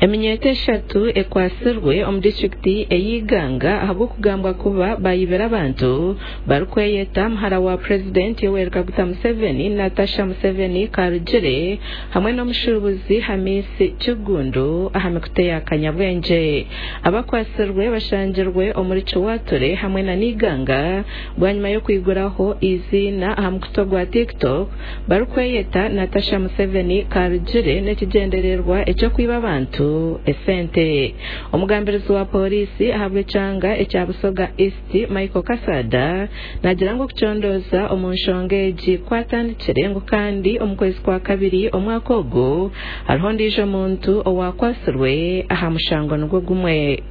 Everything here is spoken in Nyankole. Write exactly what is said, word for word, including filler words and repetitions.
Eminyeeto eshatu ekwatsirwe omu disiturikiti ey'Iganga ahabw'okugambwa kuba bayibire abantu barikweyeta muhara wa Purezidenti Yoweri Kaguta Museveni, Natasha Museveni Karugire hamwe n'omushuubuzi Hamisi Kiggundu aha mikutu eya kanyabwengye. Abakwatsirwe bashangirwe omuri Kiwature hamwe na Iganga bwanyima y'okwiguraho eiziina aha mukutu gwa TikTok barikweyeta Natasha Museveni Karugire n'ekigyendererwa eky'okwiba abantu esente. Omugambirizi wa pooriisi ahabw'ekyanga ekya Busoga East Michael Kasada naagira ngu okucondooza omu nshonga egi kwatandikire ngu kandi omu kwezi kwa kabiri omwaka ogu hariho ondiijo muntu owakwatsirwe aha mushango nigwo gumwe.